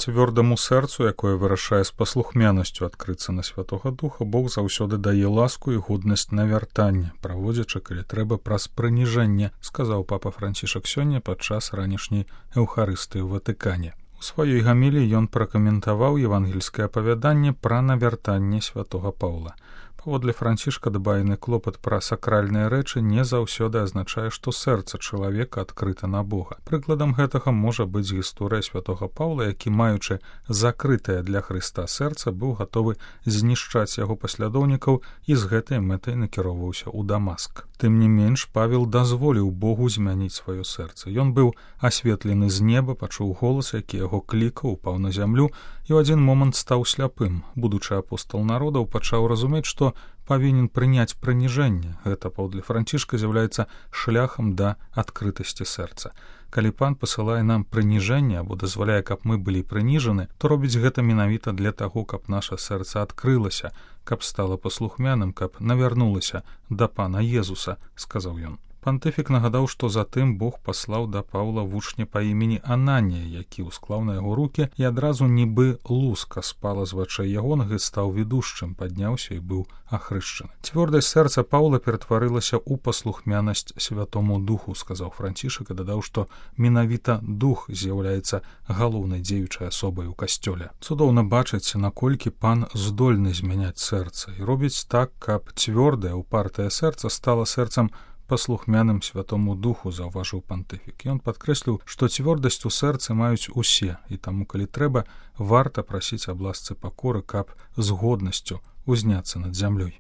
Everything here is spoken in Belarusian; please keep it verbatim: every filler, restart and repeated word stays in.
цвёрдаму сэрцу, якое вырашае з паслухмянасцю адкрыцца на Святога Духа, Бог заўсёды дае ласку і годнасць на вяртанне, праводзячы, калі трэба, праз прыніжэнне, сказаў папа Францішак сёння падчас ранішняй эўхарыстыі ў Ватыкане. У сваёй гаміліі ён пракаментаваў евангельскае апавяданне пра навяртанне святога Паўла. Паводле Францішка дбайны клопат пра сакральныя рэчы не заўсёды азначае, што сэрца чалавека адкрыта на Бога. Прыкладам гэтага можа быць гісторыя святога Паўла, які, маючы закрытае для Хрыста сэрца, быў гатовы знішчаць яго паслядоўнікаў і з гэтай мэтай накіроўваўся ў Дамаск. Тым не менш, Павел дазволіў Богу змяніць сваё сэрца. Ён быў асветлены з неба, пачуў голас, які яго клікаў, упаў на зямлю і ў адзін момант стаў сляпым. Будучы апостол народаў, пачаў разумець, што павінен прыняць прыніжэнне. Гэта, паводле Францішка, з'яўляецца шляхам да адкрытасці сэрца. Калі Пан пасылае нам прыніжэнне або дазваляе, каб мы былі прыніжаны, то робіць гэта менавіта для таго, каб наша сэрца адкрылася, каб стала паслухмяным, каб навярнулася да Пана Езуса, сказаў ён. Пантыфік нагадаў, што затым Бог паслаў да Паўла вучня па імені Ананія, які ўсклаў на яго рукі, і адразу нібы луска спала з вачэй ягоных і стаў ведушчым, падняўся і быў ахрышчаны. Цвёрдасць сэрца Паўла ператварылася ў паслухмянасць Святому Духу, сказаў Францішак, і дадаў, што менавіта Дух з'яўляецца галоўнай дзеючай асобай у касцёле. Цудоўна бачыць, наколькі Пан здольны змяняць сэрца і робіць так, каб цвёрдае, упартае сэрца стала сэрцам паслухмяным Святому Духу, заўважыў пантыфік. Ён падкрэсліў, што цвёрдасць у сэрцы маюць усе, і таму, калі трэба, варта прасіць аб ласцы пакоры, каб з годнасцю узняцца над зямлёй.